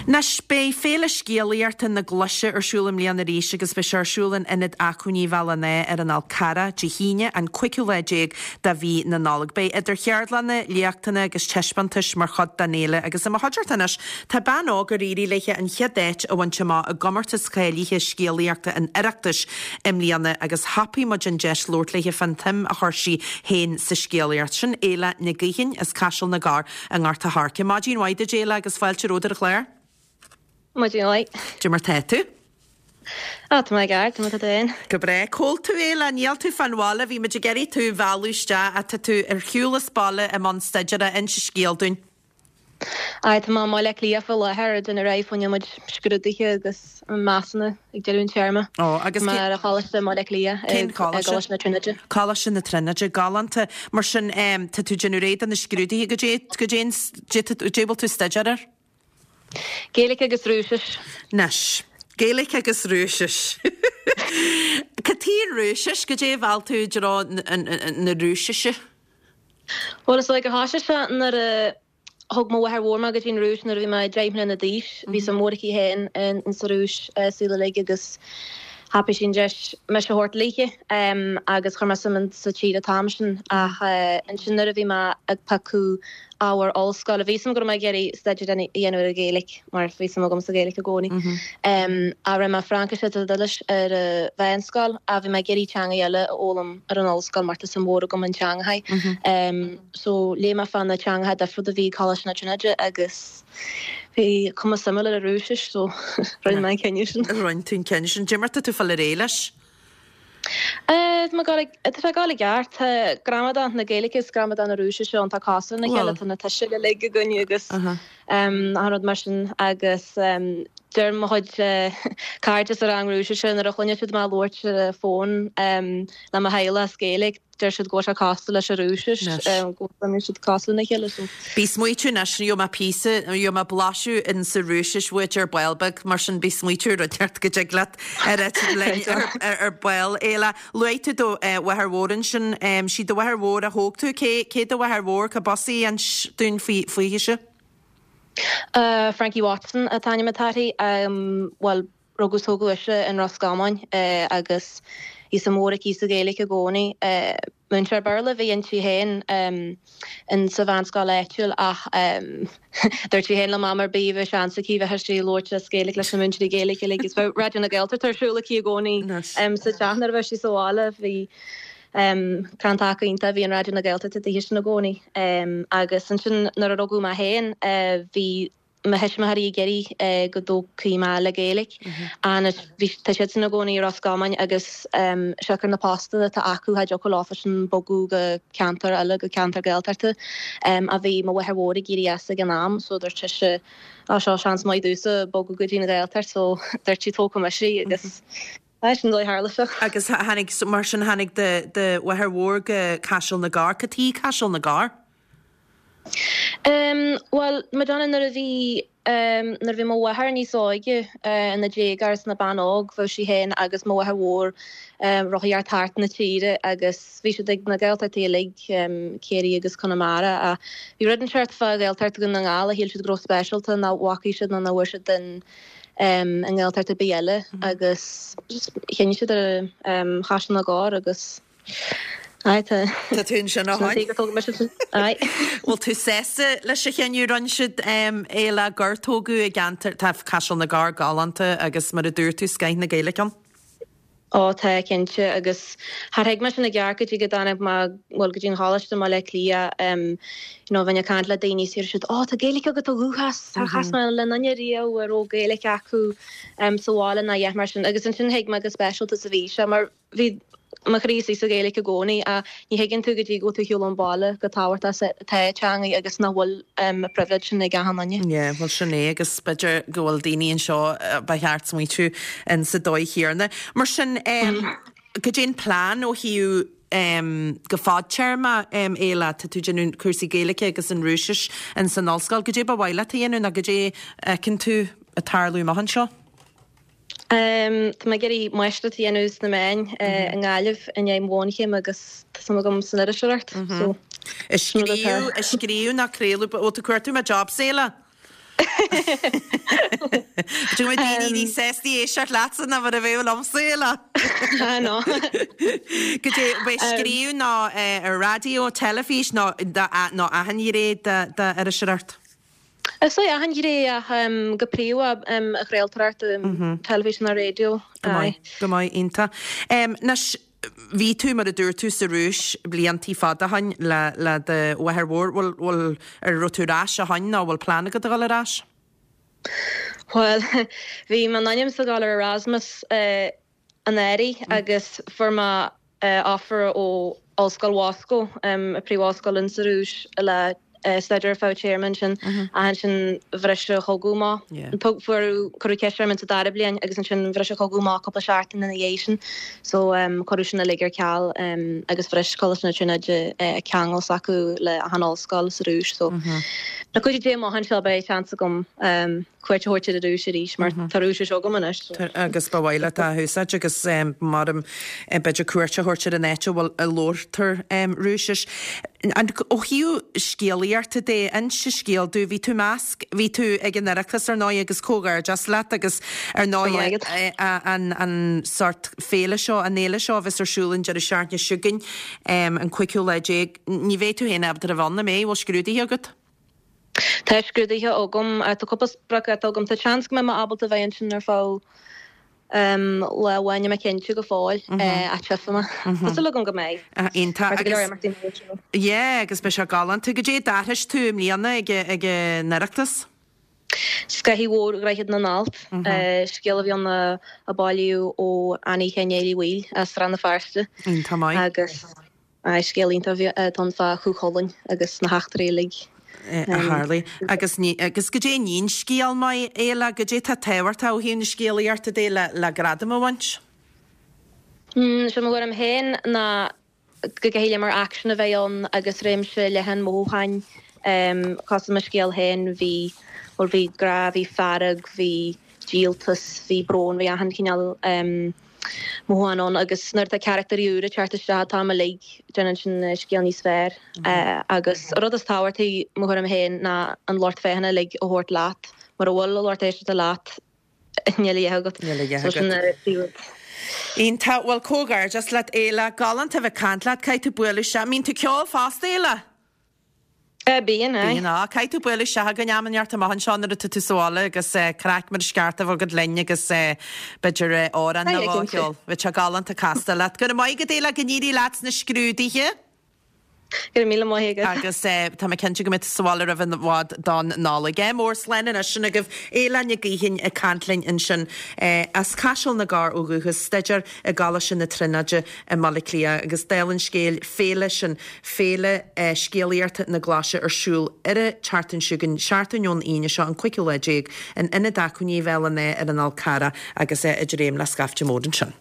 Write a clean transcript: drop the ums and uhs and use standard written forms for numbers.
Anois, beidh Féile Scéalaíochta na Glaise ar siúl i mbliana arís agus beidh sé ar siúl in Ionad Acmhainní Bhéal an Átha ar an Fhál Carrach Dé hAoine, an cúigiú lá déag de mhí na Nollag. Beidh idir cheardlanna, léachtanna agus taispeántais mar chuid den fhéile agus i mo chuideachta anois tá bean óg ar éirigh léi an chéad áit a bhaint amach i gcomórtas cáilithe scéalaíochta an Oireachtais i mbliana agus thapaigh muid an deis labhairt léi fán tsuim a chuir sí féin sa scéalaíocht. Sin Éile Nic Gaoithín as Caiseal na gCorr. I nGort a' Choirce. Maidin mhaith duit, Éile, agus fáilte romhat ar an chlár. Maidin mhaith. Cad é mar tá tú? Á, tá mé i gceart, cad é mar tá tú féin? Go breá. Cá bhfuil tú, Éile? Níl tú fán bhaile, bhí muid ag iarraidh tú a mhealladh isteach ach tá tú ar shiúl as baile i mbun staidéara, inis an scéal dúinn. Aye, tá mé i mBaile Átha Cliath faoi láthair, ag déanamh réidh fá choinne mo chuid scrúduithe agus measúnú ag deireadh an téarma. Ó, agus Tá mé ar an choláiste i mBaile Átha Cliath, Cén choláiste? Coláiste na Tríonóide. Coláiste na Tríonóide, galánta. Mar sin, tá tú ag déanamh réidh do na scrúduithe, goidé, goidé, goidé a bhfuil tú ag staidéar air? Gaeilge agus Rúisis. Anois, Gaeilge agus Rúisis. Cad chuige an Rúisis? Goidé a mheall tú i dtreo na Rúisise? Bhuel, is dóigh gur thosaigh sé nuair a Thug mo mháthair mhór mé go dtí an Rúis nuair a bhí mé 10 mbliana d'aois. Bhí suim mhór aici féin in sa Rúis saol uilig agus thapaigh sí an deis mise a thabhairt léithe agus chuir mé suim in sa tír an t-am sin. Ach ansin nuair a bhí mé ag piocadh ábhar ollscoile, bhí 'fhios a'm go raibh mé ag iarraidh staidéar a dhéanamh ar an Ghaeilge mar bhí suim agam sa Ghaeilge i gcónaí. Ach rinne mé Fraincis agus Iodáilis ar an mheánscoil ach bhí mé ag iarraidh teanga eile a fhoghlaim ar an ollscoil mar tá suim mhór agam in teangacha. So léigh mé fá na teangacha difriúla a bhí ag Coláiste na Tríonóide agus bhí cuma suimiúil ar an Rúisis so rinne mé an cinneadh sin. Rinne tú an cinneadh sin. Cad é mar tá tú ag fáil ar aghaidh leis? Tá mé ag dul, tá sé ag dul i gceart. Tá gramadach na Gaeilge is gramadach na Rúisise iontach cosúil lena chéile. Tá na tuisil uilig againn agus achan rud mar sin agus deir mo chuid cairde sa rang Rúisise nuair a chluineann siad mé ag labhairt ar an bhfón le mo theaghlach as Gaeilge, Deir siad go bhfuil sé cosúil leis an Rúisis, go bhfuil siad cosúil lena chéile so. Bí smaoitiú anois, gheobhaidh mé píosa, gheobhaidh mé blaiseadh in sa Rúisis uait ar ball beag, mar sin bí smaoitiú ar rud inteacht go dtig leat a rá linn ar ball. Éile, luaigh tú do mháthair mhór ansin, sí do mháthair mhór a thóg tú, cé, cé do mháthair mhór, cad b'fhusa inis dúinn faoi, fúithise? Frankie Watson an t-ainm atá uirthi, bhuel, Rugadh is tógadh ise in Ros Comáin agus bhí suim mhór aici sa Ghaeilge i gcónaí. Múinteoir Béarla a bhí inti féin in sa mheánscoil áitiúil ach dúirt sí féin le Mam ar bith a bheadh seans aici bheadh sí ag labhairt as Gaeilge leis na múinteoirí Gaeilge uilig agus bheadh Raidió na Gaeltachta ar siúl aici i gcónaí sa teach nuair a bheadh sí sa bhaile. Bhí crann taca iontach a bhí in Raidió na Gaeltachta daoithe sin i gcónaí. Agus ansin nuair a rugadh mé féin bhí mo thuismitheoirí ag iarraidh go dtógfaí mé le Gaeilge. Anois bhí, tá siadsan ina gcónaí i Ros Comáin agus siocair na postanna atá acu cha dtiocfadh leofasan bogadh go ceantar eile, go ceantar Gaeltachta. Ach bhí mo mháthair mhór ag éirí as ag an am so dúirt sise á seo seans maith domhsa bogadh go dtí an Ghaeltacht so dúirt sí tógfaidh mise í agus aye sin an dóigh a tharla sé. Agus tháinig, mar sin tháinig do do mháthair mhór go Caiseal na gCorr. Cad chuige Caiseal na gCorr? Bhuel, Madonna, nuair a bhí, nuair a bhí mo mháthair níos óige, ina déagóir is ina bean óg, bheadh sí féin agus mo mháthair mhór rothaíocht thart na tíre agus bhí siad ag na Gaeltachtaí uilig, Ciarraí agus Conamara, ach bhí rud inteacht fá Ghaeltacht Dhún na nGall a shíl siad go raibh speisialta nach bhfacaidh siad nó nach bhfuair siad in i nGaeltacht ar bith eile agus just chinn siad ar Chaiseal na gCorr agus Aye, tá. Tá tú ansin ó shin. Aye. Bhfuil tú sásta leis an chinneadh a rinne siad Éile gur tógadh i gceantar, tá Caiseal na gCorr galánta agus mar a dúirt tú, scoth na Gaeilge ann. Ó tá, cinnte, agus char thuig mé sin i gceart go dtí go dtáinig mé, bhuel, go dtí an choláiste i mBaile Átha Cliath, you know, bheinn ag caint le daoine is deir siad, Ó, tá Gaeilge agat ó dhúchas, char chas mé le duine riamh a raibh Gaeilge acu sa bhaile ná a dhath mar sin. Agus ansin thuig mé chomh speisialta is a bhí sé mar, Bhí mo chroí istigh sa Ghaeilge i gcónaí ach ní thuigeann tú go dtí go bhfuil tú ar shiúl ón bhaile chomh tábhachtach is atá teangaidh agus nach bhfuil an pribhléid sin ag achan duine. Yeah, bhuel sin é agus b'fhéidir go bhfuil daoine anseo ba cheart smaoitiú in sa dóigh chéanna. Mar sin, cad é an plean ó thaobh go fadtéarma, Éile? Tá tú ag déanamh cúrsaí Gaeilge agus an Rúisis in san ollscoil. Cad é ba mhaith leat a dhéanamh nó cad é a fheiceann tú ag tarlú amach anseo? Tá mé ag iarraidh máistreacht a dhéanamh sna meáin i nGaillimh i ndiaidh mo bhunchéim agus tá suim agam san iriseoireacht so Ag scríobh, ag scríobh nó craoladh, bhfuil tú cuartú mo jobs, Éile? B'fhéidir go mbeadh daoine níos sásta éisteacht leatsa ná mar a bheadh liomsa, Éile. I know. Goidé, beidh scríobh nó ar raidió, teilifís nó nó achan ghné d'iriseoireacht? Is é achan ghné ach go príomha an chraoltóireacht, teilifís nó raidió. Go maith, go maith, iontach. Anois, bhí tú, mar a dúirt tú, sa Rúis bliantaí fada ó shoin le le do mháthair mhór. Bhfuil, bhfuil, ar raibh tú ar ais ó shoin nó bhfuil plean agat a dhul ar ais? Bhuel, bhí mé in ainm is a dhul ar Erasmus anuraidh agus fuair mé offer ó Ollscoil Mhoscó, an príomh-ollscoil in sa Rúis, le staidéar ar feadh téarma ansin ach ansin bhris an chogadh amach. Fuair, cuireadh ceist orm insa dara bliain agus ansin bhris an chogadh amach cúpla seachtain ina dhiaidh sin so cuireadh sin uilig ar ceal agus bhris Coláiste na Tríonóide ceangal s'acu le achan ollscoil sa Rúis so le cuidiú Dé amach anseo beidh seans agam cuairt a thabhairt ar an Rúis arís mar tá Rúisis agam anois. Agus ba mhaith leat é a úsáid agus maram b'fhéidir cuairt a thabhairt ar an áit a bhfuil a labhartar Rúisis. Ó thaobh scéalaíochta de, inse scéal domh, bhí tú measc, bhí tú ag an Oireachtas ar ndóigh agus comhghairdeas leat agus ar ndóigh an an sórt féile seo, an fhéile seo a bheas ar siúl an deireadh seachtaine seo chugainn, an cúigiú lá déag, ní bheidh tú féin ábalta a bheith ann, an mbeidh? Bhfuil scrúduithe agat? Tá scrúduithe agam. Tá cúpla spriocdháta agam. Tá seans go mbeidh mé ábalta bheith ansin ar feadh lá amháin, níl mé cinnte go fóill, ach tchífidh mé. Tá súil agam go mbeidh. Iontach. Mar tá go leor imeachtaí móra ar siúl. Yeah, agus beidh sé galánta. Goidé a d'aithris tú i mbliana ag an Oireachtas? Sceitheadh Mhór Dhroichead na nAllt, scéal a bhí ann a bailíodh ó Annie Sheáin Néill Uí Bhaoill as Rann na Feirste. Iontach maith. Agus. Aye, scéal iontach atá ann fá Chú Chulainn agus na heachtraí uilig. a tharlaigh. Agus ní, agus goidé a níonn scéal maith, Éile, goidé atá tábhachtach ó thaobh na scéalaíochta de le, le gradam a bhaint? Sé mo thuairim féin ná go gcaithfidh lear mór aicsean a bheith ann agus réimse leathan mothúcháin. Cosúil le mo scéal féin, bhí, bhuel, bhí grá, bhí fearg, bhí díoltas, bhí brón, bhí achan chineál mothúchán ann agus nuair atá carachtairí úra ag teacht isteach an t-am uilig, déanann sin an scéal níos fearr. Agus an rud is tábhachtaí, mo thuairim féin, ná an lucht féachana uilig a thabhairt leat. Mura bhfuil an lucht éisteachta leat, níl a dhath agat. Níl a dhath agat. So sin an príomhrud. Iontach. Bhuel, comhghairdeas leat, Éile. Galánta a bheith ag caint leat. Caithfidh tú bualadh isteach. An mbíonn tú ag ceol fosta, Éile? Bíonn, aye. Bíonn, á. Caithfidh tú bualadh isteach chugainn am inteacht amach anseo nuair atá tú sa bhaile agus craic mar is ceart a bheith agat linn agus b'fhéidir amhrán nó dhó a cheol. Bheadh sé galánta castáil leat. Go raibh maith agat, Éile, go n-éirí leat sna scrúduithe. Go raibh míle maith agat. Agus tá mé cinnte go mbeidh tú sa bhaile roimh i bhfad don Nollaig. Ádh mór, slán anois sin agaibh. Éile Nic Gaoithín ag caint linn ansin as Caiseal na gCorr ó dhúchas, staidéar i gColáiste na Tríonóide i mBaile Átha Cliath agus dála an scéil, féile sin, Féile Scéalaíochta na Glaise ar siúl ar an tseachtain seo chugainn, seachtain ón Aoine seo, an cúigiú lá déag, in Ionad Acmhainní Bhéal an Átha ar an Fhál Carrach agus é ag dréim le scaifte mór ansin.